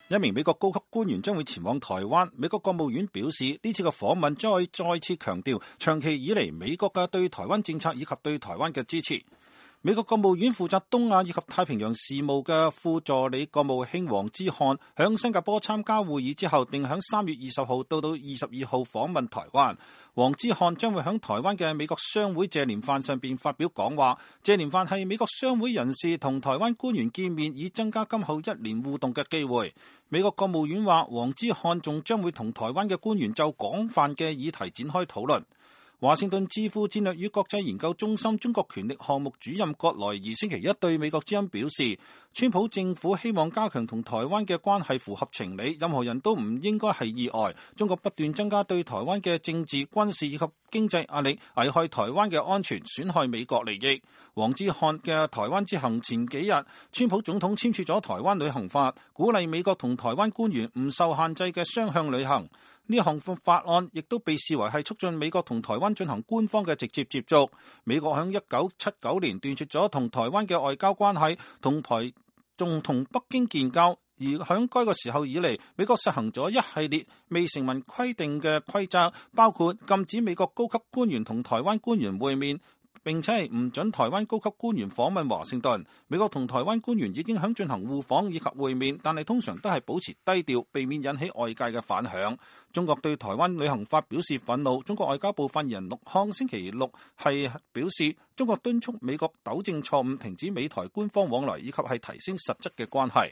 一名美國高級官員將會前往台灣。美國國務院表示，呢次嘅訪問將會再次強調長期以嚟美國嘅對台灣政策以及對台灣嘅支持。美國國務院負責東亞以及太平洋事務嘅副助理國務卿黃之漢響新加坡參加會議之後，定響3月20號到22號訪問台灣。黃之漢將會響台灣嘅美國商會謝年飯上邊發表講話。謝年飯係美國商會人士同台灣官員見面，以增加今後1年互動嘅機會。美國國務院話，黃之漢仲將會同台灣嘅官員就廣泛嘅議題展開討論。華盛頓智庫戰略與國際研究中心中國權力項目主任葛萊儀星期一對美國之音表示，川普政府希望加強同台灣嘅關係符合情理，任何人都唔應該係意外。中國不斷增加對台灣嘅政治、軍事以及經濟壓力，危害台灣嘅安全，損害美國利益。黃之漢嘅台灣之行前幾日，川普總統簽署咗台灣旅行法，鼓勵美國同台灣官員唔受限制嘅雙向旅行。呢項法案亦都被視為係促進美國同台灣進行官方嘅直接接觸。美國喺1979年斷絕咗同台灣嘅外交關係，仲同北京建交。而喺該個時候以嚟，美國實行咗一系列未成文規定嘅規則，包括禁止美國高級官員同台灣官員會面，並且係唔准台灣高級官員訪問華盛頓。美國同台灣官員已經響進行互訪以及會面，但係通常都係保持低調，避免引起外界嘅反響。中國對台灣旅行法表示憤怒。中國外交部發言人陸康星期六係表示，中國敦促美國糾正錯誤，停止美台官方往來，以及係提升實質嘅關係。